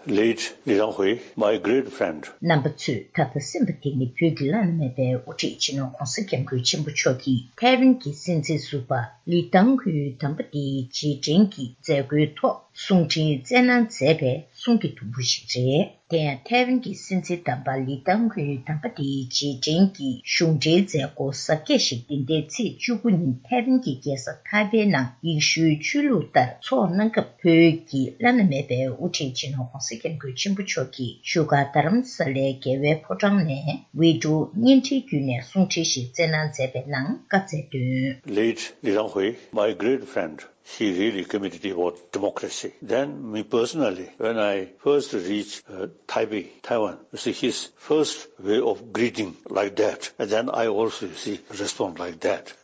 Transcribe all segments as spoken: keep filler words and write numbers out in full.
Late Li Denghui, my great friend. རྣམ་པ་ཚོས་ད་ལྟ་གསན་པ་དེ་ནི་བོད་ཀྱི་བླ་ན་མེད་པའི་དབུ་ཁྲིད་སྤྱི་ནོར་༧གོང་ས་༧སྐྱབས་མགོན་ཆེན་པོ་མཆོག་གིས་ཐའེ་ཝན་གྱི་སྲིད་འཛིན་ཟུར་པ་ལི་ཏང་ཧུའི་དམ་པ་དེའི་རྗེས་དྲན་གྱི་མཛད་སྒོའི་ཐོག་གསུང་འཕྲིན་བསྩལ་གནང་མཛད་པའི་གསུང་གི་དུམ་བུ་ཞིག་རེད། དེ་ཡང་ཐའེ་ཝན་གྱི་སྲིད་འཛིན་དམ་པ་ལི་ཏང་ཧུའི་དམ་པ་དེའི་རྗེས་དྲན་གྱི་གཞུང་འབྲེལ་མཛད་སྒོ་གཟབ་རྒྱས་ཤིག་འདི་ཟླའི་ཚེས་བཅུ་དགུ་ཉིན་ཐའེ་ཝན་གྱི་རྒྱལ་ས་ཐའེ་པེ་ནང་ཡེ་ཤུའི་ཆོས་ལུགས་ལྟར་འཚོགས་གནང་སྐབས། བོད་ཀྱི་བླ་ན་མེད་པའི་དབུ་ཁྲིད་སྤྱི་ནོར་༧གོང་ས་༧སྐྱབས་མགོན་ཆེན་པོ་མཆོག་གིས་བཞུགས་སྒར་རྡ་རམ་ས་ལའི་རྒྱལ་བའི་ཕོ་བྲང་ནས་བི་ཌི་ཡོ་བརྙན་འཕྲིན་བརྒྱུད་ནས་གསུང་འཕྲིན་ཞིག་བསྩལ་གནང་མཛད་པའི་ནང་བཀའ་སྩལ་དོན། Late Li Denghui, my great friend, he really committed about democracy. Then me personally, when I first reached uh, Taipei, Taiwan, you see his first way of greeting like that, and then I also, you see, respond like that.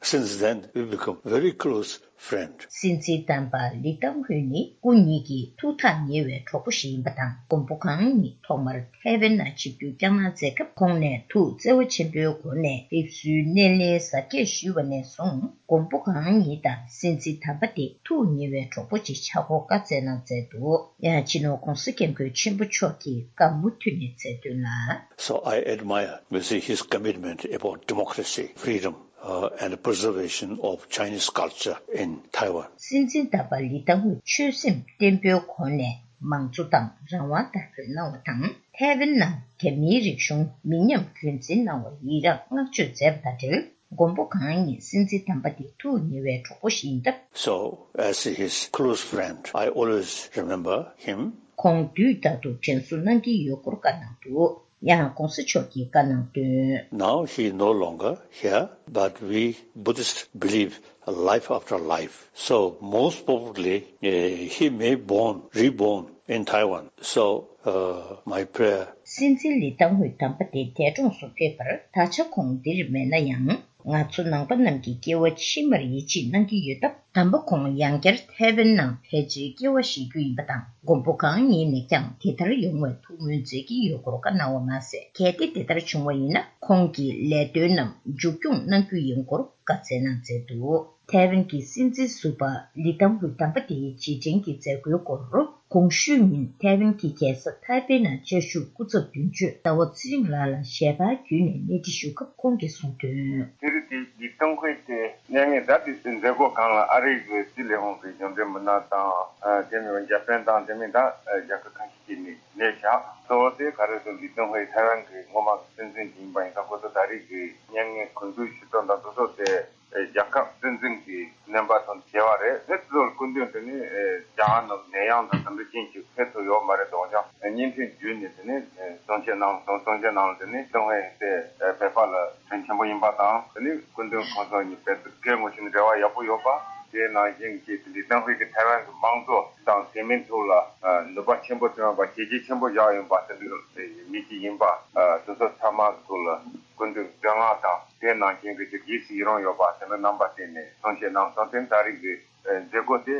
Since then, we become very close friend. སྲིད་འཛིན་དམ་པ་ལི་ཏང་ཧུའི་ནི་སྐུ་ཉིད་ཀྱི་ཐུགས་ཐག་ཉེ་བའི་གྲོགས་པོ་ཞིག་ཡིན་པ་དང་། མགོན་པོ་གང་ཉིད་ཐོག་མར་ཐའེ་ཝན་ནང་ཆིབས་བསྒྱུར་བསྐྱངས་གནང་མཛད་སྐབས། ཁོང་ནས་ཐུགས་བརྩེ་བ་ཆེན་པོའི་སྒོ་ནས་ཕེབས་བསུའི་སྣེ་ལེན་གཟབ་རྒྱས་ཞུས་པ་ནས་བཟུང་། མགོན་པོ་གང་ཉིད་དང་སྲིད་འཛིན་དམ་པ་དེ་ཐུགས་ཉེ་བའི་གྲོགས་པོ་ཅིག་ཆགས་སྐོར་བཀའ་སྩལ་གནང་མཛད་འདུག་ཡང་སྤྱི་ནོར་༧གོང་ས་༧སྐྱབས་མགོན་ཆེན་པོ་མཆོག་གིས་བཀའ་མུ་མཐུད་ནས་སྩལ་དོན་ལ། So I admire Mister Xi's commitment about democracy, freedom, uh, and preservation of Chinese culture in Taiwan. སྲིད་འཛིན་དམ་པ་ལི་ཏང་ཧུའི་ཆོད་སེམས་བརྟན་པོའི་སྒོ་ནས་མང་གཙོ་དང་རང་དབང་དར་སྤེལ་གནང་བ་དང་། ཐའེ་ཝན་ནང་རྒྱ་མིའི་རིག་གཞུང་མི་ཉམས་རྒྱུན་འཛིན་གནང་བར་ཡི་རངས་བསྔགས་བརྗོད་མཛད་པ་དང་འབྲེལ། མགོན་པོ་གང་ཉིད་སྲིད་འཛིན་དམ་པ་དེ་ཐུགས་ཉེ་བའི་གྲོགས་པོ་ཞིག་ཡིན་སྟབས། So, as his close friend, I always remember him. ཁོང་དུས་རྟག་ཏུ་དྲན་གསོ་གནང་གི་ཡོད་སྐོར་བཀའ་གནང་འདུག་ཡང་༧གོང་ས་མཆོག་གིས་བཀའ་གནང་དོན། Now he no longer here, but we Buddhists believe life after life. So most probably, eh, he may born, reborn in Taiwan. So, uh, my prayer. སྲིད་འཛིན་ལི་ཏང་ཧུའི་དམ་པ་དེ་འདས་གྲོངས་སུ་ཕེབས་པར་ད་ཆ་ཁོང་འདིར་མེད་ན་ཡང་། ང་ཚོ་ནང་པ་རྣམས་ཀྱི་སྐྱེ་བ་ཕྱི་མར་ཡིད་ཆེས་གནང་གི་ཡོད་སྟབས། དམ་པ་ཁོང་ཡང་བསྐྱར་ཐའེ་ཝན་ནང་ཕལ་ཆེར་སྐྱེ་བ་བཞེས་རྒྱུ་ཡིན་པ་དང་། མགོན་པོ་གང་ཉིད་ནས་ཀྱང་དེ་ལྟར་ཡོང་བའི་ཐུགས་སྨོན་མཛད་ཀྱི་ཡོད་སྐོར་བཀའ་གནང་བ་མ་ཟད། གལ་ཏེ་དེ་ལྟར་བྱུང་བ་ཡིན་ན། ཁོང་གི་ལས་དོན་རྣམས་མཇུག་སྐྱོང་གནང་རྒྱུ་ཡིན་སྐོར་བཀའ་སྩལ་གནང་མཛད་འདུག་ཐའེ་ཝན་གྱི་སྲིད་འཛིན་ཟུར་པ་ལི་ཏང་ཧུའི་དམ་པ་དེའི་རྗེས་དྲན་གྱི་མཛད་སྒོའི་སྐོར། གོང་ཞུས་ཉིན་ཐའེ་ཝན་གྱི་རྒྱལ་ས་ཐའེ་པེ་ནང་བཅའ་བཞུགས་སྐུ་ཚབ་དོན་གཅོད་ཟླ་བ་ཚེ་རིང་ལགས་ལ་ཞལ་པར་བརྒྱུད་ནས་གནས་འདྲི་ཞུ་སྐབས་ཁོང་གིས་གསུངས་དོན། དེ་རིང་དེ་ལི་ཏང་ཧུའི་དེ་མྱ་ངན་ད་དེ་མཛད་སྒོ་སྒང་ལ་ཨ་རི་གི་སྲིད་ལས་ཁུངས་ཀྱི་གཞུང་འབྲེལ་མི་སྣ་དང་། དེ་མིན་འཇར་པན་དང་དེ་མིན་ད་རྒྱལ་ཁབ་ཁ་ཤས་ཀྱིས་ནི་གནས་བཞག་གཙོ་བོ་དེ་ག་རེ་ཟེར་ལི་ཏང་ཧུའི་ཐའེ་ཝན་གྱི་སྔོན་མ་གི་སྲིད་འཛིན་ཡིན་པ་ཡིན་ཙང་ཁོ་ཚོ་ད་རེས་ཀྱི་མྱ་ངན་གུས་འདུད་ཞུ་སྟངས་དང་དེ་ཚོ་དེ། རྒྱལ་ཁབ་སྲིད་འཛིན་གྱི་རྣམ་པ་དང་བྱེད་པ་རེད། དེ་ཚོར་སྐུ་མདུན་དེ་ནི་རྒྱ་གར་ནང་ནད་ཡམས་དང་དེ་འདྲ་ཅན་ཞིག་ཕེབས་ཐུབ་ཡོད་མ་རེད་འདུག་ཀྱང་བརྙན་འཕྲིན་བརྒྱུད་ནས་དེ་ནི་གསུང་བཤད་གནང་སོང་། གསུང་བཤད་ནང་ལ་དེ་ནི་ཏུན་ཧོང་དེ་བོད་པ་ལ་དོན་ཆེན་པོ་ཡིན་པ་དང་། དེ་ནི་སྐུ་མདུན་ཁོང་ཚོ་གཉིས་བོད་སྐད་ངོ་ཤེས་ནས་འབྲེལ་བ་ཡག་པོ་ཡོད་པ། དེ་ནང་བཞིན་གྱི་དེ་འདྲའི་ཏུན་ཧོང་གི་ཐའེ་ཝན་གྱི་དམངས་གཙོ་དང་དེ་མིན་ཐོག་ལ་ནུས་པ་ཆེན་པོ་བཏོན་པ། བྱས་རྗེས་ཆེན་པོ་བཞག་ཡོད་པ་དེ་འདྲ་མི་གཅིག་ཡིན་པ། དེ་ཚོ་ཚང་མ་གི་ཐོག་ལ་སྐུ་མདུན་བསྟོད་བསྔགས་དང་། དེ་ནང་བཞིན་གྱི་རྗེས་སུ་ཡི་རང་ཡོད་པ་དེ་འདྲ་རྣམ་པ་བསྟན་ནས་གསུང་བཤད་གནང་སོང་། དེ་ད་རེས་ཀྱི་མཛད་སྒོ་དེ་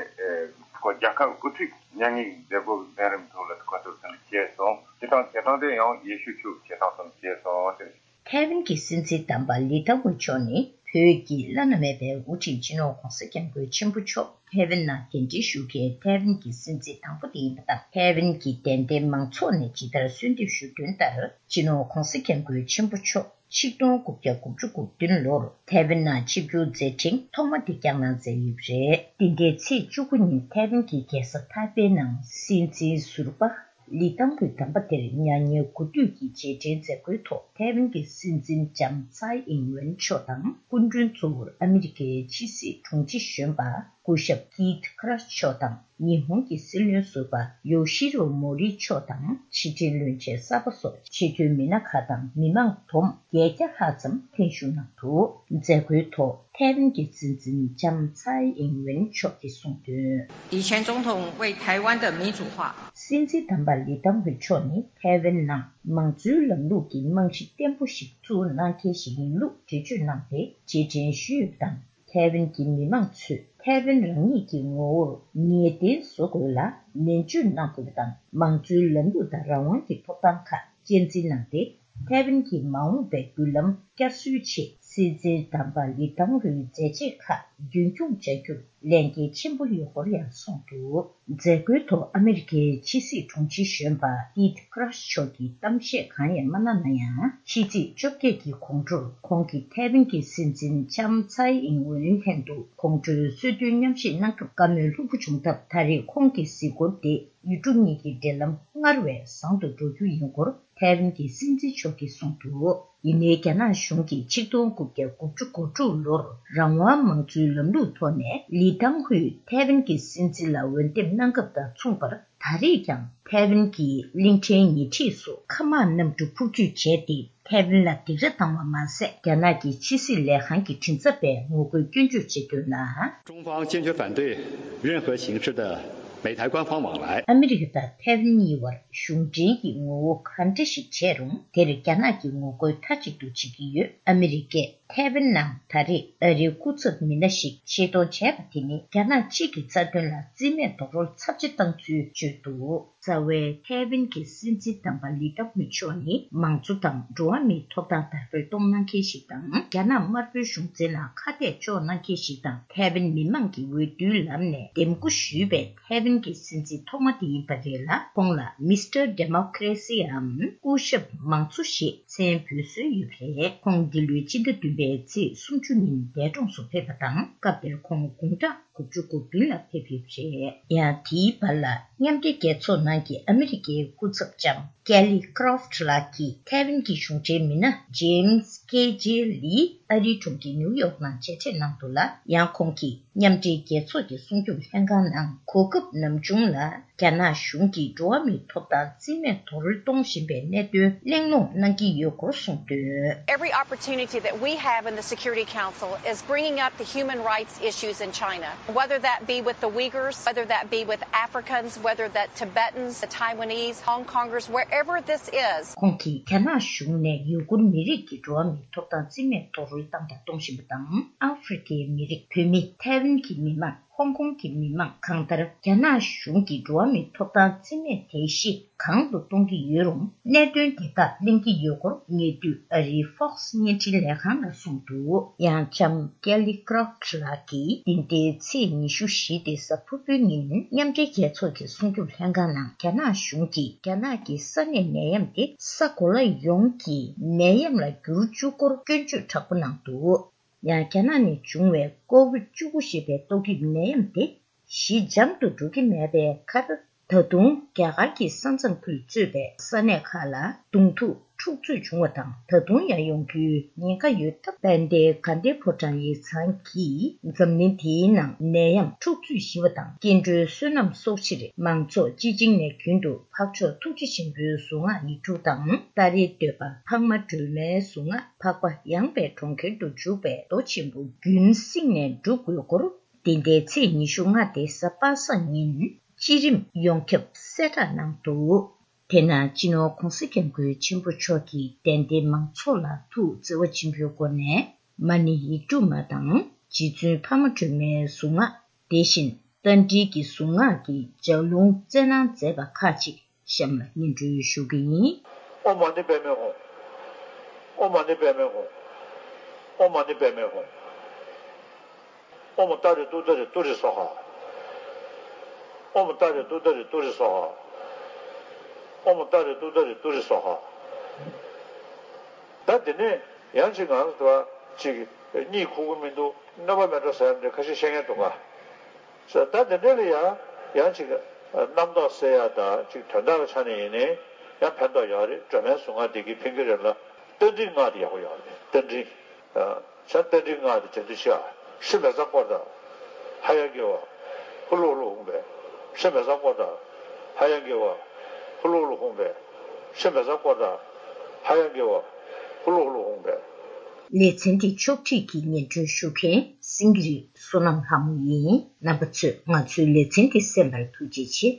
ཁོ་རྒྱལ་ཁབ་དབུ་ཁྲིད་མྱ་ངན་མཛད་སྒོ་འཛིན་རིམ་ཐོག་ལ་ཁོ་ཚོར་དེ་འདྲ་བྱས་སོང་། བྱེད་སྟངས་བྱེད་སྟངས་དེ་ཡང་ཡེ་ཤུ་ཆོས་བྱེད་སྟངས་སམ་བྱས་སོང་ཟེར། ཐའེ་ཝན་གྱི་སྲིད་འཛིན་དམ་པ་ལི་ཐང་ཧུའེ་མཆོག་ནི་བོད་ཀྱི་བླ་ན་མེད་པའི་དབུ་ཁྲིད་སྤྱི་ནོར་༧གོང་ས་༧སྐྱབས་མགོན་ཆེན་པོ་མཆོག་ཐའེ་ཝན་ནང་གདན་འདྲེན་ཞུ་མཁན་ཐའེ་ཝན་གྱི་སྲིད་འཛིན་དང་པོ་དེ་ཡིན་པ་དང་། ཐའེ་ཝན་གྱི་དད་ལྡན་མང་ཚོགས་ནས་ཇི་ལྟར་གསོལ་འདེབས་ཞུ་དོན་ལྟར། སྤྱི་ནོར་༧གོང་ས་༧སྐྱབས་མགོན་ཆེན་པོ་མཆོག་ཆིག་སྟོང་དགུ་བརྒྱ་དགུ་བཅུ་གོ་བདུན་ལོར་ཐའེ་ཝན་ནང་ཆིབས་བསྒྱུར་མཛད་འཕྲིན་ཐོག་མ་དེ་བསྐྱངས་གནང་མཛད་ཡོད་པ་རེད། འདི་ཟླའི་ཚེས་བཅུ་དགུ་ཉིན་ཐའེ་ཝན་གྱི་རྒྱལ་ས་ཐའེ་པེ་ནང་སྲིད་འཛིན་ཟུར་པ་ལི་ཐང་ཧུའེ་དམ་པ་དེར་མྱ་ངན་གུས་འདུད་ཀྱི་རྗེས་དྲན་མཛད་སྒོའི་ཐོག་ཐའེ་ཝན་གྱི་སྲིད་འཛིན་ལྕམ་ཚའེ་ཨིང་ཝེན་མཆོག་དང་། སྐུ་མགྲོན་གཙོ་བོར་ཨ་མི་རི་ཀའི་ཕྱི་སྲིད་དྲུང་ཆེ་གཞོན་པ་སྐུ་ཞབས་ཀིད་ཁ་ར་མཆོག་དང་། ཉི་ཧོང་གི་སྲིད་བློན་ཟུར་པ་ཡོ་ཤི་རོ་མོ་རི་མཆོག་དང་། ཕྱི་དྲིལ་བློན་ཆེན་གསར་པ་སོགས་ཆེས་མཐོའི་མི་སྣ་ཁག་དང་མི་མང་བསྡོམས་བརྒྱད་བརྒྱ་ལྷག་ཙམ་ལྷན་ཞུགས་གནང་འདུག་མཛད་སྒོའི་ཐོག་ཐའེ་ཝན་གྱི་སྲིད་འཛིན་ལྕམ་ཚའེ་ཨིང་ཝེན་མཆོག་གིས་གསུངས་དོན། 以前总统为台湾的民主化 སྲིད་འཛིན་དམ་པ་ལི་ཐང་ཧུའེ་མཆོག་ནི་ཐའེ་ཝན་ནང་མང་གཙོའི་ལམ་ལུགས་ཀྱི་རྨང་གཞི་བརྟན་པོ་ཞིག་བཙུགས་གནང་མཁན་ཞིག་ཡིན་ལུགས་འགྲེལ་བརྗོད་གནང་སྟེ། རྗེས་དྲན་ཞུས་པ་དང་། ཐའེ་ཝན་གྱི་མི་མང་ཚོས་ཐའེ་ཝན་རང་ཉིད་ཀྱི་ངོ་བོར་ངེས་གཏན་བཟོ་དགོས་ལ་ནན་བརྗོད་གནང་དགོས་པ་དང་། མང་གཙོའི་ལམ་ལུགས་དང་རང་དབང་གི་ཐོབ་ཐང་ཁག་གཅེས་འཛིན་གནང་སྟེ། ཐའེ་ཝན་གྱི་མ་འོངས་པའི་མདུན་ལམ་བསྐྱར་གསོའི་ཆེད་སྲིད་འཛིན་དམ་པ་ལི་ཐང་ཧུའེ་མཛད་རྗེས་ཁག་རྒྱུན་འཁྱོངས་བྱ་རྒྱུར་ ལས་འགན་ཆེན་པོ་ཡོད་སྐོར་ཡང་གསུངས་འདུག་མཛད་སྒོའི་ཐོག་ཨ་མི་རི་ཀའི་ཕྱི་སྲིད་དྲུང་ཆེ་གཞོན་པ་ཏིད་ཀྲ་ཤི་མཆོག་གིས་གཏམ་བཤད་གང་ཡང་མ་གནང་ན་ཡང་། ཕྱི་ཚེས་བཅོ་བརྒྱད་ཀྱི་དགོང་དྲོར་ཁོང་གིས་ཐའེ་ཝན་གྱི་སྲིད་འཛིན་ལྕམ་ཚའེ་ཨིན་ཝེན་ལྷན་དུ་དགོང་དྲོའི་གསོལ་སྟོན་མཉམ་ཞུགས་གནང་སྐབས་བཀའ་མོལ་ལྷུག་པོ་བྱུང་སྟབས། ད་རེས་ཁོང་གི་གཟིགས་སྐོར་དེ་ཡུལ་གྲུ་གཉིས་ཀྱི་འབྲེལ་ལམ་སྔར་བས་བཟང་དུ་འགྲོ་རྒྱུ་ཡིན་སྐོར་ཐའེ་ཝན་གྱི་སྲིད་འཛིན་མཆོག་གིས་གསུངས་འདུག་ཡིན་ནའི་རྒྱ་ནག་གཞུང་གིས་ཆིག་སྟོང་དགུ་བརྒྱ་དགུ་བཅུ་གོ་དྲུག་ལོར་རང་དབང་མང་གཙོའི་ལམ་ལུགས་ཐོག་ནས་ལི་ཐང་ཧུའེ་ཐའེ་ཝན་གྱི་སྲིད་འཛིན་ལ་འོས་འདེམས་གནང་སྐབས་དང་མཚུངས་པར། ད་རེས་ཀྱང་ཐའེ་ཝན་གྱི་གླིང་ཕྲན་ཉེ་འཁྲིས་སུ་མཁའ་དམག་གནམ་གྲུ་འཕུར་སྐྱོད་བྱས་ཏེ། ཐའེ་ཝན་ལ་སྡིགས་ར་བཏང་བ་མ་ཟད། རྒྱ་ནག་གི་ཕྱི་སྲིད་ལས་ཁང་གི་མགྲིན་ཚབ་པས་ངོ་རྒོལ་སྐྱོན་བརྗོད་བྱེད་དོན་ལ། 中方坚决反对任何形式的美台官方往来。 ཨ་མི་རི་ཀ་དང་ཐའེ་ཝན་གཉིས་བར་གཞུང་འབྲེལ་གྱི་ངོ་བོ་ག་འདྲ་ཞིག་བྱས་རུང་། དེར་རྒྱ་ནག་གིས་ངོ་རྒོལ་མཐའ་གཅིག་ཏུ་བྱེད་ཀྱི་ཡོད། ཨ་མི་རི་ཀས་ཐའེ་ཝན་ནང་ད་རེས་ཨ་རིའི་སྐུ་ཚབ་མི་སྣ་ཞིག་ཆེད་གཏོང་བྱས་པ་དེ་ནི། རྒྱ་ནག་གཅིག་གི་རྩ་དོན་ལ་རྩིས་མེད་རྡོག་རོལ་ཚབས་ཆེ་བཏང་ཚུལ་བརྗོད་འདུག་རྩ་བའི་ཐའེ་ཝན་གྱི་སྲིད་འཛིན་དམ་པ་ལི་ཏང་ཧུའེ་མཆོག་ནི། མང་གཙོ་དང་འགྲོ་བ་མིའི་ཐོབ་ཐང་དར་སྤེལ་གཏོང་གནང་མཁན་ཞིག་དང་། རྒྱ་ནག་དམར་པོའི་གཞུང་འཛིན་ལ་ཁ་གཏད་གཅོག་གནང་མཁན་ཞིག་དང་། ཐའེ་ཝན་མི་མང་གི་འོས་བསྡུའི་ལམ་ནས་འདེམས་བསྐོ་ཞུས་པའི་ཐའེ་ཝན་གྱི་སྲིད་འཛིན་ཐོག་མ་དེ་ཡིན་པ་རེད་ལ། ཁོང་ལ་མིས་ཊར་ཌེ་མོ་ཀེ་རེ་སི་འམ་སྐུ་ཞབས་མང་གཙོ་ཞེས་མཚན་འབོད་སྲོལ་ཡོད་པ་རེད། ཁོང་འདི་ལོའི་སྤྱི་ཟླ་བདུན་པའི་ཚེས་སུམ་ཅུ་ཉིན་འདས་གྲོངས་སུ་ཕེབས་པ་དང་། སྐབས་དེར་ཁོང་དགུང་གྲངས་དགུ་བཅུ་གོ་བདུན་ལ་ཕེབས་ཡོད་པ་རེད། ཡང་དེའི་བར་ལ། མཉམ་འབྲེལ་རྒྱལ་ཚོགས་ནང་གི་ཨ་མི་རི་ཀའི་སྐུ་ཚབ་ལྕམ་ཀེ་ལི་ཀྲོཕ་ལགས་ཀྱིས་ཐའེ་ཝན་གྱི་གཞུང་འབྲེལ་མི་སྣ་ཇེ་མི་སི་ཀེ་ཇེ་ལི་ཨ་རིའི་གྲོང་ཁྱེར་ནིའུ་ཡོག་ནང་མཇལ་འཕྲད་གནང་འདུག་ལ། ཡང་ཁོང་གིས་མཉམ་འབྲེལ་རྒྱལ་ཚོགས་ཀྱི་སྲུང་སྐྱོབ་ལྷན་ཁང་ནང་གོ་སྐབས་ནམ་བྱུང་ལ། རྒྱ་ནག་གཞུང་གིས་འགྲོ་བ་མིའི་ཐོབ་ཐང་རྩིས་མེད་རྡོག་རོལ་གཏོང་བཞིན་པའི་གནད་དོན་གླེང་སློང་གནང་གི་ཡོད་སྐོར་གསུངས་དོན། Every opportunity that we have in the Security Council is bringing up the human rights issues in China, whether that be with the Uyghurs, whether that be with Africans, whether that Tibetans, the Taiwanese, Hong Kongers, wherever this is. ཁོང་གིས་རྒྱ་ནག་གཞུང་ནས་ཡུ་གུར་མི་རིགས་ཀྱི་འགྲོ་བ་མིའི་ཐོབ་ཐང་རྩིས་མེད་རྡོག་རོལ་བཏང་དང་གཏོང་བཞིན་པ་དང་། ཨ་ཧྥེ་རི་ཁའི་མི་རིགས། བོད་མི། ཐའེ་ཝན་གྱི་མི་མང་། ཧོང་ཀོང་གི་མི་མང་། གང་ལྟར་རྒྱ་ནག་གཞུང་གིས་འགྲོ་བ་མིའི་ཐོབ་ཐང་རྩིས་མེད་དེ་བཞིན་གང་དུ་གཏོང་གི་ཡོད་རུང་། གནད་དོན་དེ་དག་གླེང་གི་ཡོད་སྐོར་ཉེ་དུས་ཨ་རིའི་Fox་བརྙན་འཕྲིན་ལས་ཁང་ལ་གསུངས་འདུག་ཡང་ལྕམ་ཀེ་ལི་ཀྲོཕ་ལགས་ཀྱིས་འདི་ཟླའི་ཚེས་ཉི་ཤུ་བཞི་སྟེ་གཟའ་ཕུར་བུའི་ཉིན། མཉམ་འབྲེལ་རྒྱལ་ཚོགས་ཀྱི་སྲུང་སྐྱོབ་ལྷན་ཁང་ནང་རྒྱ་ནག་གཞུང་གིས་རྒྱ་ནག་གི་ས་གནས་ནད་ཡམས་དེ་ས་གོ་ལ་ཡོངས་ཀྱི་ནད་ཡམས་ལ་འགྱུར་བཅུག་སྐོར་སྐྱོན་བརྗོད་དྲག་པོ་གནང་འདུག་ཡང་རྒྱ་ནག་ནས་བྱུང་བའི་ཀོ་ཝིད་བཅུ་དགུ་ཞེས་པའི་ཏོག་དབྱིབས་ནད་ཡམས་དེ་ཞི་འཇམ་དུ་འགྲོ་གི་མེད་པའི་ཁར། ད་དུང་རྒྱ་གར་གྱི་ས་མཚམས་ཁུལ་གཙོས་པའི་ས་གནས་ཁག་ལ་གདོང་ཐུག་འཁྲུག་རྩོད་བྱུང་བ་དང་། ད་དུང་ཡང་ཡོང་རྒྱུའི་ཉེན་ཁ་ཡོད་སྟབས། དཔལ་ལྡན་གྷན་དྷི་ཕོ་བྲང་ཡིག་ཚང་གིས་འཛམ་གླིང་འདིའི་ནང་ནད་ཡམས་འཁྲུག་རྩོད་ཞི་བ་དང་། སྐྱེ་འགྲོའི་བསོད་ནམས་གསོག་ཕྱིར། མང་ཚོགས་སྤྱི་བྱིངས་ནས་རྒྱུན་དུ་འཕགས་མཆོག་ཐུགས་རྗེ་ཆེན་པོའི་གཟུངས་སྔགས་ཡིག་དྲུག་དང་། ཏཱ་རེ་འདོད་པ་འཕགས་མ་སྒྲོལ་མའི་གཟུངས་སྔགས། འཕགས་པ་ཡངས་པའི་གྲོང་ཁྱེར་དུ་འཇུག་པའི་མདོ་ཆེན་པོ་རྒྱུན་བསྲིངས་ནས་སྒྲུབ་དགོས་སྐོར། འདི་ཟླའི་ཚེས་ཉི་ཤུ་ལྔ་སྟེ་གཟའ་པ་སངས་ཉིན་སྤྱི་རིམ་ཡོངས་ཁྱབ་གསལ་བསྒྲགས་གནང་འདུག་དེ་ན་སྤྱི་ནོར་༧གོང་ས་༧སྐྱབས་མགོན་ཆེན་པོ་མཆོག་གིས་དད་ལྡན་མང་ཚོགས་ལ་ཐུགས་བརྩེ་བ་ཆེན་པོའི་སྒོ་ནས་མ་ཎི་ཡིག་དྲུག་མ་དང་། རྗེ་བཙུན་འཕགས་མ་སྒྲོལ་མའི་གཟུངས་སྔགས། དེ་བཞིན་རྟ་མགྲིན་གྱི་གཟུངས་སྔགས་ཀྱི་ལྗགས་ལུང་སྩལ་གནང་མཛད་པ་ཁག་ཅིག་གཤམ་ལ་སྙན་སྒྲོན་ཞུ་གི་ཡིན། ཨོཾ་མ་ཎི་པདྨེ་ཧཱུྃ། ཨོཾ་མ་ཎི་པདྨེ་ཧཱུྃ། ཨོཾ་མ་ཎི་པདྨེ་ཧཱུྃ། ཨོཾ་ཏཱ་རེ་ཏུཏྟཱ་རེ་ཏུ་རེ་སྭཱ་ཧཱ། ཨོཾ་ཏཱ་རེ་ཏུཏྟཱ་རེ་ཏུ་རེ་སྭཱ་ཧཱ། ཨོཾ་ཏཱ་རེ་ཏུཏྟཱ་རེ་ཏུ་རེ་སྭཱ་ཧཱ། ད་དེ་ནས་ཡང་ཅིག་ང་ཚོ་ཅིག་གཉིད་ཁུག་གི་མི་འདུག་གནོད་པ་མེད་འགྲོ་ཟེར་ཡ་འདྲ་ཁ་ཤས་བཤད་མཁན་འདུག་ག་ད་དེ་འདྲ་ལ་ཡང་ཡང་ཅིག་རྣམ་རྟོག་སེལ་ཡ་དང་ཅིག་དོན་དག་གི་ཆ་ནས་ཡིན་ནའི་ཡང་ཕན་ཐོགས་ཡོད་རེད། སྒྲོལ་མའི་གཟུངས་སྔགས་འདི་གིས་ཕན་གྱི་རེད་ལ། རྟ་མགྲིན་སྔགས་དེ་ཡག་པོ་ཡོད་རེད། རྟ་མགྲིན། ཤ་རྟ་མགྲིན་སྔགས་དེ་བྱ་དུ་ཤ། ཧྲི་མེ་ས་ཀོ་ད། ཧ་ཡང་གི་བ། ཧུ་ལུ་ཧུ་ལུ་ཧུང་བེ། ཧྲི་མེ་ས་ཀོ་ད། ཧ་ཡང་གི་བ། ཧུ་ལུ་ཧུ་ལུ་ཧུང་བེ། ཧྲི་མེ་ས་ཀོ་ད། ཧ་ཡང་གི་བ། ཧུ་ལུ་ཧུ་ལུ་ཧུང་བེ། ལེ་ཚན་འདི་ཕྱོགས་སྒྲིག་གིས་སྙན་སྒྲོན་ཞུ་མཁན་སེང་གེ་རི་བསོད་ནམས་ལྷ་མོ་ཡིན། རྣམ་པ་ཚོས་ང་ཚོའི་ལེ་ཚན་འདི་གསན་པར་ཐུགས་རྗེ་ཆེ།